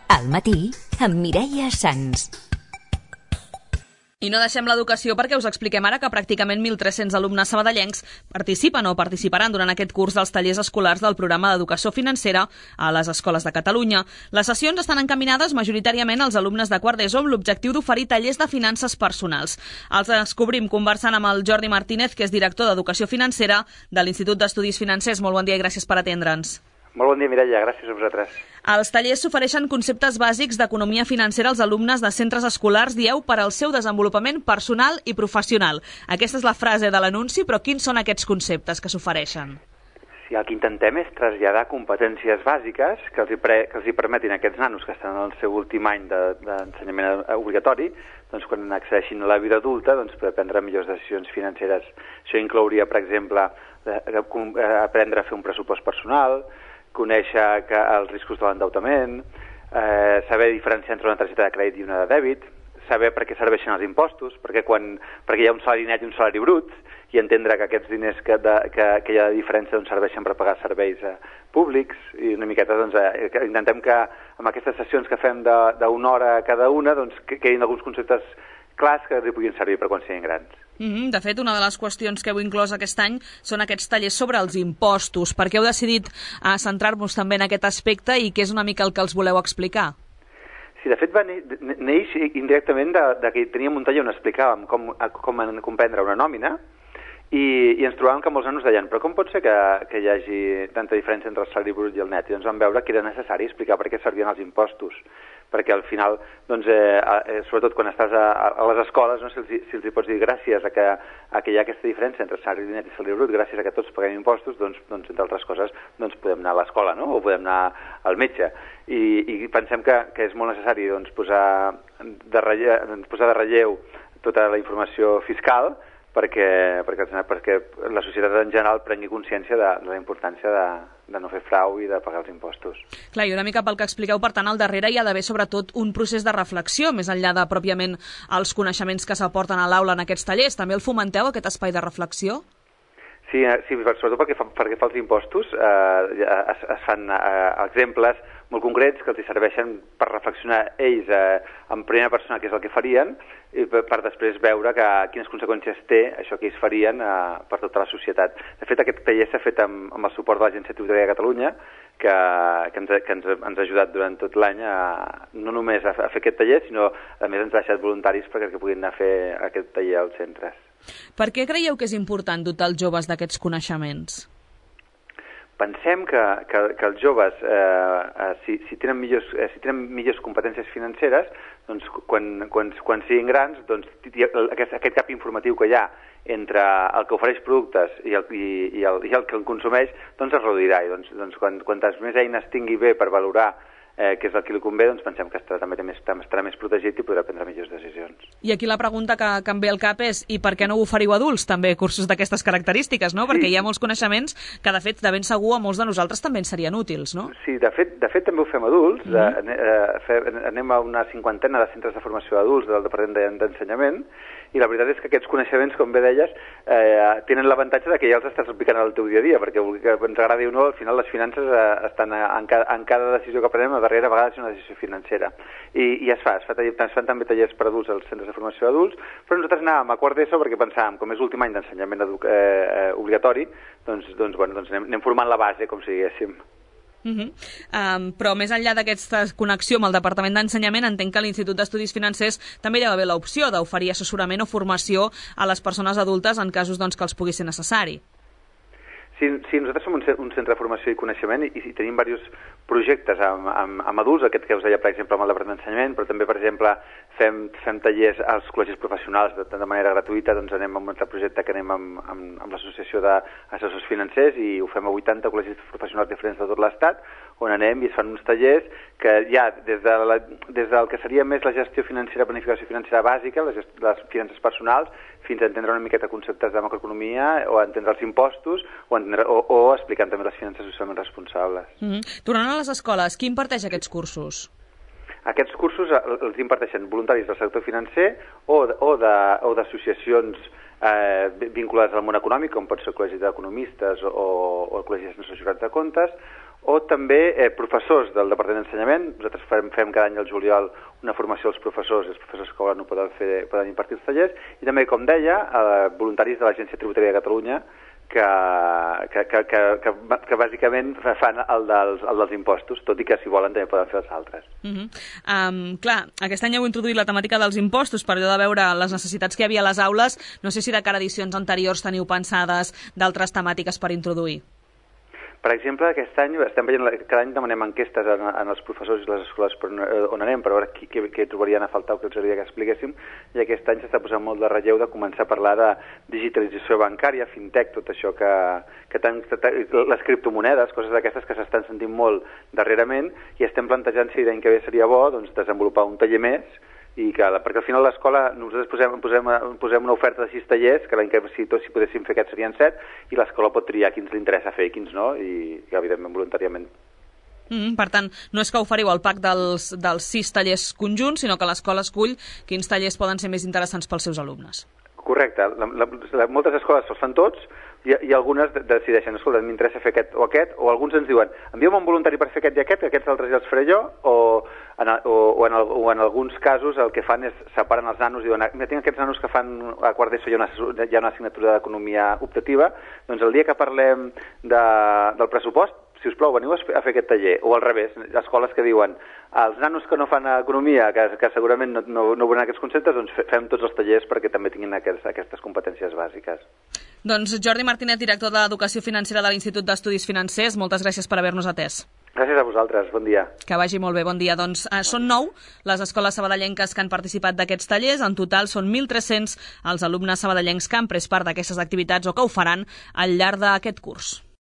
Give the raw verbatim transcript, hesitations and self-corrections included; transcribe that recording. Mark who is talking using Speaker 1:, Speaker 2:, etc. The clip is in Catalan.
Speaker 1: Al matí, amb Mireia Sans.
Speaker 2: I no deixem l'educació perquè us expliquem ara que pràcticament mil tres-cents alumnes sabadellencs participen o participaran durant aquest curs dels tallers escolars del programa d'educació financera a les escoles de Catalunya. Les sessions estan encaminades majoritàriament als alumnes de quart d'ESO amb l'objectiu d'oferir tallers de finances personals. Els descobrim conversant amb el Jordi Martínez, que és director d'Educació Financera de l'Institut d'Estudis Financers. Molt bon dia i gràcies per atendre'ns.
Speaker 3: Molt bon dia, Mireia. Gràcies a vosaltres.
Speaker 2: Als tallers s'ofereixen conceptes bàsics d'economia financera als alumnes de centres escolars, dieu, per al seu desenvolupament personal i professional. Aquesta és la frase de l'anunci, però quins són aquests conceptes que s'ofereixen?
Speaker 3: Sí, el que intentem és traslladar competències bàsiques que els hi, pre, que els hi permetin a aquests nanos que estan en el seu últim any d'ensenyament de, obligatori, doncs quan accedeixin a la vida adulta, doncs poder prendre millors decisions financeres. Això inclouria, per exemple, aprendre a fer un pressupost personal, conèixer que els riscos de l'endeutament, eh, saber diferenciar entre una targeta de crèdit i una de dèbit, saber per què serveixen els impostos, perquè, quan, perquè hi ha un salari net i un salari brut, i entendre que aquests diners que, de, que, que hi ha de diferència doncs, serveixen per pagar serveis eh, públics, i una miqueta doncs, eh, que intentem que amb aquestes sessions que fem d'una hora cada una doncs, que, que hi hagi alguns conceptes clars que els puguin servir per quan siguin grans.
Speaker 2: Mm-hmm. De fet, una de les qüestions que heu inclòs aquest any són aquests tallers sobre els impostos. Per què heu decidit uh, centrar-vos també en aquest aspecte i què és una mica el que els voleu explicar?
Speaker 3: Sí, de fet va neix indirectament de, de que teníem un taller on explicàvem com, com comprendre una nòmina i, i ens trobàvem que molts nanos deien però com pot ser que, que hi hagi tanta diferència entre el salari brut i el net? I doncs vam veure que era necessari explicar per què servien els impostos, perquè al final, doncs, eh, sobretot quan estàs a, a les escoles, no, si, els, si els hi pots dir gràcies a que, a que hi ha aquesta diferència entre salari net i salari brut, gràcies a que tots paguem impostos, doncs, doncs entre altres coses, doncs podem anar a l'escola, no? O podem anar al metge. I, i pensem que, que és molt necessari doncs, posar, de relleu, posar de relleu tota la informació fiscal perquè, perquè, perquè la societat en general prengui consciència de, de la importància de, de no fer frau i de pagar els impostos.
Speaker 2: Clar, i una mica pel que expliqueu, per tant, al darrere hi ha d'haver sobretot un procés de reflexió, més enllà de pròpiament els coneixements que s'aporten a l'aula en aquests tallers. També el fomenteu, aquest espai de reflexió?
Speaker 3: Sí, sí, sobretot perquè fa, perquè fa els impostos eh, es, es fan eh, exemples molt concrets que els hi serveixen per reflexionar ells eh, en primera persona què és el que farien i per, per després veure que, quines conseqüències té això que ells farien eh, per tota la societat. De fet, aquest taller s'ha fet amb, amb el suport de l'Agència Tributària de Catalunya que, que, ens, que ens, ens ha ajudat durant tot l'any no només a, a fer aquest taller, sinó a més ens ha deixat voluntaris perquè puguin anar a fer aquest taller als centres.
Speaker 2: Per què creieu que és important dotar els joves d'aquests coneixements?
Speaker 3: Pensem que, que, que els joves, eh, si, si, tenen millors, eh, si tenen millors competències financeres, doncs quan, quan, quan siguin grans, doncs, aquest, aquest cap informatiu que hi ha entre el que ofereix productes i el, i, i el, i el que el consumeix, doncs es reduirà. I doncs, doncs quan, quantes més eines tingui bé per valorar Eh, que és el que li convé, doncs pensem que estarà, també més, estarà més protegit i podrà prendre millors decisions.
Speaker 2: I aquí la pregunta que, que em ve al cap és i per què no ho oferiu adults, també, cursos d'aquestes característiques, no? Sí. Perquè hi ha molts coneixements que, de fet, de ben segur a molts de nosaltres també ens serien útils, no?
Speaker 3: Sí, de fet, de fet també ho fem adults. Mm-hmm. eh, fe, anem a una cinquantena de centres de formació d'adults del Departament d'Ensenyament i la veritat és que aquests coneixements, com bé deies, eh, tenen l'avantatge de que ja els estàs aplicant al teu dia a dia, perquè que ens agradi o no, al final les finances eh, estan en cada, en cada decisió que prenem, a darrere a vegades és una decisió financera. I, i es fa, es, fa, es fan també tallers per adults als centres de formació d'adults, però nosaltres anàvem a quart d'ESO perquè pensàvem, com és l'últim any d'ensenyament eh, obligatori, doncs, doncs, bueno, doncs anem, anem formant la base, com si diguéssim.
Speaker 2: Uh-huh. um, però més enllà d'aquesta connexió amb el Departament d'Ensenyament, entenc que l'Institut d'Estudis Financers també hi ha d'haver l'opció d'oferir assessorament o formació a les persones adultes en casos doncs, que els pugui ser necessari.
Speaker 3: Sí, sí, nosaltres som un, un centre de formació i coneixement i, i tenim diversos projectes amb, amb, amb adults, aquest que us deia, per exemple, amb el Departament d'Ensenyament, però també, per exemple, fem, fem tallers als col·legis professionals de, de manera gratuïta, doncs anem amb un altre projecte que anem amb, amb, amb l'Associació d'Assessors Financers i ho fem a vuitanta col·legis professionals diferents de tot l'Estat, on anem i es fan uns tallers que ja, des, de la, des del que seria més la gestió financera, planificació financera bàsica, les, gest, les finances personals, fins a entendre una miqueta conceptes de macroeconomia o a entendre els impostos o, entendre, o, o explicant també les finances socialment responsables.
Speaker 2: Mm-hmm. Tornant a les escoles, qui imparteix aquests cursos?
Speaker 3: Aquests cursos els imparteixen voluntaris del sector financer o, o d'associacions eh, vinculades al món econòmic, com pot ser el Col·legi d'Economistes o, o el Col·legi de Jurats de Comptes, o també eh, professors del Departament d'Ensenyament. Nosaltres fem, fem cada any al juliol una formació als professors, i els professors que volen no poden, fer, poden impartir els tallers, i també, com deia, eh, voluntaris de l'Agència Tributària de Catalunya, que, que, que, que, que, que bàsicament fan el dels, el dels impostos, tot i que si volen també poden fer els altres.
Speaker 2: Uh -huh. um, clar, aquest any heu introduït la temàtica dels impostos per allò de veure les necessitats que hi havia a les aules. No sé si de cara a edicions anteriors teniu pensades d'altres temàtiques per introduir.
Speaker 3: Per exemple, aquest any estem veient, cada any demanem enquestes en, en els professors i les escoles per on anem, per veure qui, què, què trobarien a faltar o què els agradaria que expliquéssim, i aquest any s'està posant molt de relleu de començar a parlar de digitalització bancària, fintech, tot això que, que tan, les criptomonedes, coses d'aquestes que s'estan sentint molt darrerament, i estem plantejant si l'any que ve seria bo doncs, desenvolupar un taller més, i que, perquè al final l'escola nosaltres posem, posem, posem una oferta de sis tallers, que l'any que si tots si podéssim fer aquests serien set, i l'escola pot triar quins li interessa fer i quins no, i, i evidentment voluntàriament.
Speaker 2: Mm, per tant, no és que oferiu el pack dels, dels sis tallers conjunts, sinó que l'escola escull quins tallers poden ser més interessants pels seus alumnes.
Speaker 3: Correcte. La, la, la, moltes escoles els fan tots, i, i algunes decideixen, escolta, m'interessa fer aquest o aquest, o alguns ens diuen, envia'm un voluntari per fer aquest i aquest, que aquests altres ja els faré jo, o en, o, o, en el, o en alguns casos el que fan és separen els nanos i diuen, mira, tinc aquests nanos que fan a quart d'ESO hi ha una, hi ha una assignatura d'economia optativa, doncs el dia que parlem de, del pressupost, si us plau, veniu a fer aquest taller, o al revés, escoles que diuen, els nanos que no fan economia, que, que segurament no, no, no veuran aquests conceptes, doncs fem tots els tallers perquè també tinguin aquests, aquestes competències bàsiques.
Speaker 2: Doncs Jordi Martínez, director d'Educació Financera de l'Institut d'Estudis Financers, moltes gràcies per haver-nos atès.
Speaker 3: Gràcies a vosaltres, bon dia.
Speaker 2: Que vagi molt bé, bon dia. Doncs eh, són nou les escoles sabadellenques que han participat d'aquests tallers. En total són mil tres-cents els alumnes sabadellencs que han pres part d'aquestes activitats o que ho faran al llarg d'aquest curs.